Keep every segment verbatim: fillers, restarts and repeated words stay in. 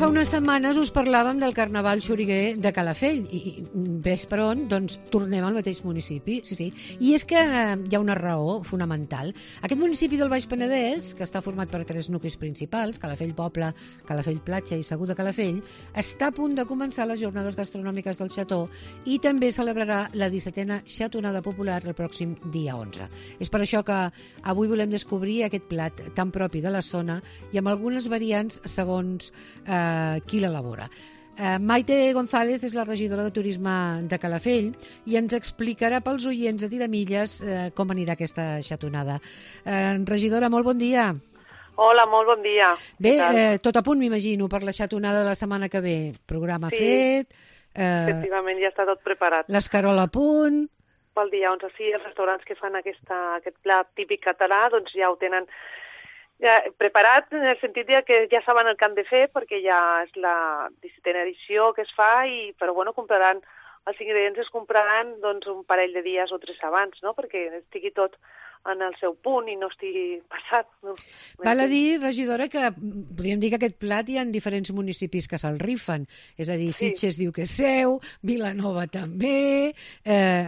fa unes setmanes us parlàvem del Carnaval xoriguer de Calafell i, i ves per on, doncs tornem al mateix municipi, sí, sí. I és que hi ha una raó fonamental. Aquest municipi del Baix Penedès, que està format per tres nuclis principals, Calafell Poble, Calafell Platja i Segur de Calafell, està a punt de començar les jornades gastronòmiques del Xató i també celebrarà la dissetena xatonada popular el pròxim dia onze. És per això que avui volem descobrir aquest plat tan propi de la zona i amb algunes variants segons eh, qui l'elabora. Eh, Maite González és la regidora de Turisme de Calafell i ens explicarà pels oients de Tiramilles eh, com anirà aquesta xatonada. Eh, regidora, molt bon dia. Hola, molt bon dia. Bé, eh, tot a punt, m'imagino, per la xatonada de la setmana que ve. Programa sí, fet. Eh, efectivament, ja està tot preparat. L'escarola a punt. Pel dia onze, sí, els restaurants que fan aquesta, aquest plat típic català doncs ja ho tenen ja preparat, en el sentit que ja saben el que han de fer, perquè ja és la dissetena edició que es fa, i, però bueno, compraran, els ingredients es compraran doncs, un parell de dies o tres abans, no? Perquè estigui tot en el seu punt i no estigui passat. No? Val a dir, regidora, que podríem dir que aquest plat hi ha diferents municipis que se'l rifen. És a dir, Sitges sí. diu que és seu, Vilanova també, eh,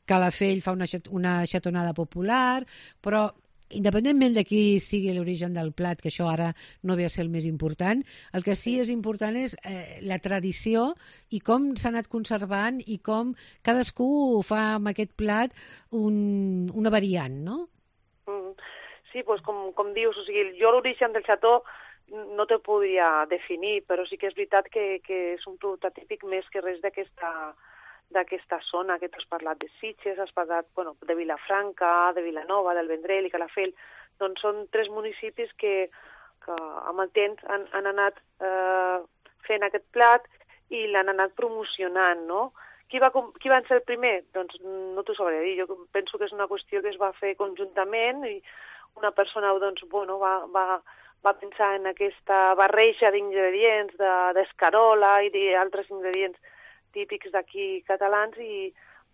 Calafell fa una, una xatonada popular, però independentment de qui sigui l'origen del plat, que això ara no ve a ser el més important, el que sí és important és eh, la tradició i com s'ha anat conservant i com cadascú fa amb aquest plat un, una variant, no? Mm, sí, doncs com, com dius, o sigui, jo l'origen del xató no te podria definir, però sí que és veritat que, que és un producte típic més que res d'aquesta d'aquesta zona que tu has parlat de Sitges, has parlat bueno, de Vilafranca, de Vilanova, del Vendrell i Calafell, doncs són tres municipis que, que amb el temps han, han anat eh, fent aquest plat i l'han anat promocionant, no? Qui va, qui va ser el primer? Doncs no t'ho sabré dir, jo penso que és una qüestió que es va fer conjuntament i una persona doncs, bueno, va, va, va pensar en aquesta barreja d'ingredients, d'escarola i d'altres ingredients típics d'aquí catalans i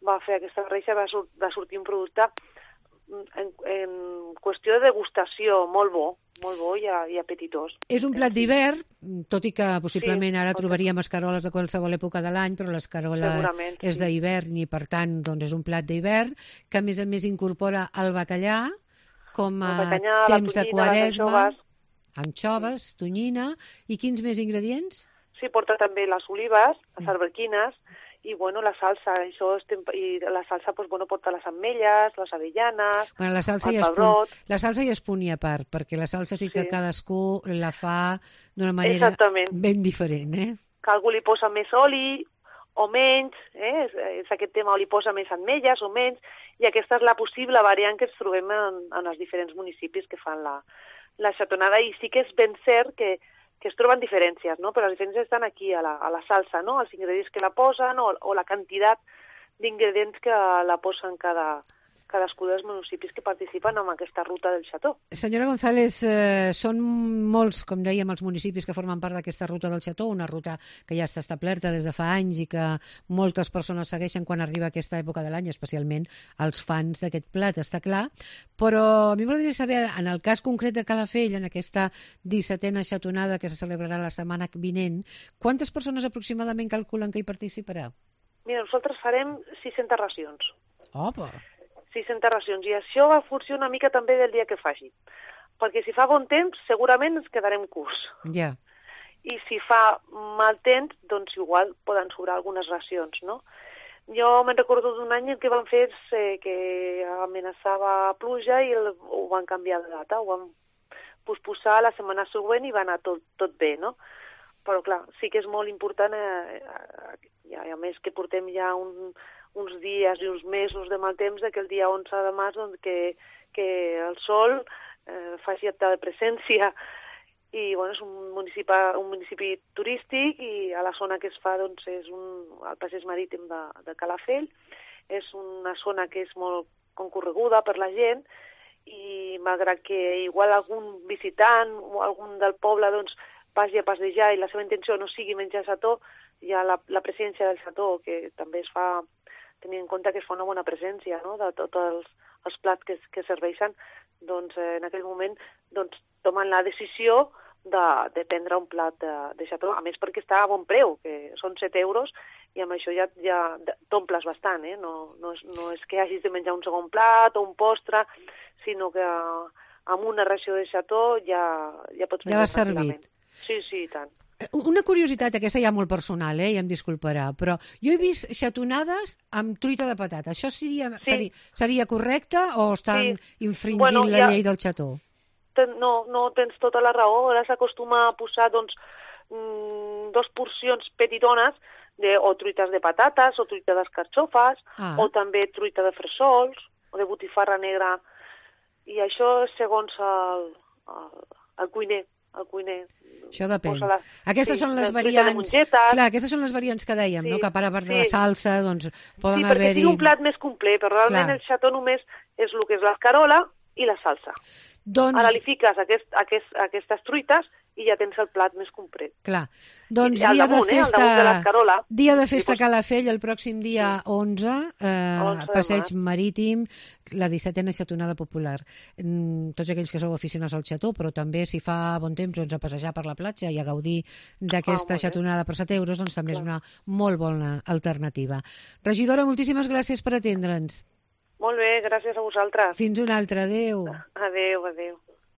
va fer aquesta barreja, va, sur va sortir un producte en, en qüestió de degustació molt bo, molt bo i, i apetitós. És un plat d'hivern, tot i que possiblement sí, ara trobaríem escaroles de qualsevol època de l'any, però l'escarola és sí. d'hivern i per tant doncs, és un plat d'hivern que a més a més incorpora el bacallà com a bacallà, temps tonyina, de quaresma, anxoves, tonyina i quins més ingredients? Sí, porta també les olives, les alberquines i, bueno, la salsa. Això és I la salsa, doncs, bueno, porta les ametlles, les avellanes, bueno, la salsa el ja pebrot... Punt, la salsa ja és punt i a part, perquè la salsa sí que sí. cadascú la fa d'una manera Exactament. ben diferent, eh? Que algú li posa més oli o menys, eh? és, és aquest tema, o li posa més ametlles o menys, i aquesta és la possible variant que ens trobem en, en els diferents municipis que fan la, la xatonada, i sí que és ben cert que que es troben diferències, no? Però les diferències estan aquí, a la, a la salsa, no? Els ingredients que la posen o, o la quantitat d'ingredients que la posen cada, cadascú dels municipis que participen en aquesta ruta del Xató. Senyora González, eh, són molts, com dèiem, els municipis que formen part d'aquesta ruta del Xató, una ruta que ja està establerta des de fa anys i que moltes persones segueixen quan arriba aquesta època de l'any, especialment els fans d'aquest plat, està clar. Però a mi m'agradaria saber, en el cas concret de Calafell, en aquesta dissetena xatonada que se celebrarà la setmana vinent, quantes persones aproximadament calculen que hi participarà? Mira, nosaltres farem sis-centes racions. Opa! sis-centes racions, i això va funcionar una mica també del dia que faci. Perquè si fa bon temps, segurament ens quedarem curts. Ja. Yeah. I si fa mal temps, doncs igual poden sobrar algunes racions, no? Jo me'n recordo d'un any en què van fer eh, que amenaçava pluja i el, ho van canviar de data, ho van posposar la setmana següent i va anar tot, tot bé, no? Però clar, sí que és molt important, eh, eh, a més que portem ja un... uns dies i uns mesos de mal temps, que el dia onze de març doncs, que, que el sol eh, faci acte de presència. I bueno, és un municipi, un municipi turístic i a la zona que es fa doncs, és un, el passeig marítim de, de Calafell. És una zona que és molt concorreguda per la gent i malgrat que igual algun visitant o algun del poble doncs, vagi a passejar i la seva intenció no sigui menjar xató, hi ha la, la presència del xató que també es fa tenint en compte que es fa una bona presència, no?, de tots els, els plats que, que serveixen, doncs eh, en aquell moment doncs, tomen la decisió de, de prendre un plat de, de xató, a més perquè està a bon preu, que són set euros, i amb això ja, ja t'omples bastant, eh? No, no, és, no és que hagis de menjar un segon plat o un postre, sinó que amb una ració de xató ja, ja pots menjar ja tranquil·lament. Sí, sí, i tant. Una curiositat, aquesta ja molt personal, eh, i em disculparà, però jo he vist xatonades amb truita de patata. Això seria, sí. seria, seria correcte o estan sí. infringint bueno, la ja... llei del xató? No, no tens tota la raó. Ara s'acostuma a posar doncs, mmm, dos porcions petitones de, o truites de patates o truita d'escarxofes ah. o també truita de fressols o de botifarra negra. I això segons el, el, el cuiner. El cuiner. Això depèn. La, aquestes sí, són les variants. Clar, aquestes són les variants que dèiem, sí, no? Que a part de sí. la salsa, doncs poden sí, haver-hi... Sí, perquè sigui un plat més complet, però realment Clar. el xató només és el que és l'escarola i la salsa. Doncs... Ara li fiques aquest, aquest, aquestes truites i ja tens el plat més complet. Clar. Doncs I, dia, damunt, de festa, eh, de dia de festa a Calafell, el pròxim dia onze, eh, onze passeig marítim, la dissetena xatonada popular. Mm, tots aquells que sou aficionats al xató, però també si fa bon temps doncs, a passejar per la platja i a gaudir d'aquesta ah, xatonada per set euros, doncs també Clar. és una molt bona alternativa. Regidora, moltíssimes gràcies per atendre'ns. Molt bé, gràcies a vosaltres. Fins una altra, adéu. Adéu, adéu.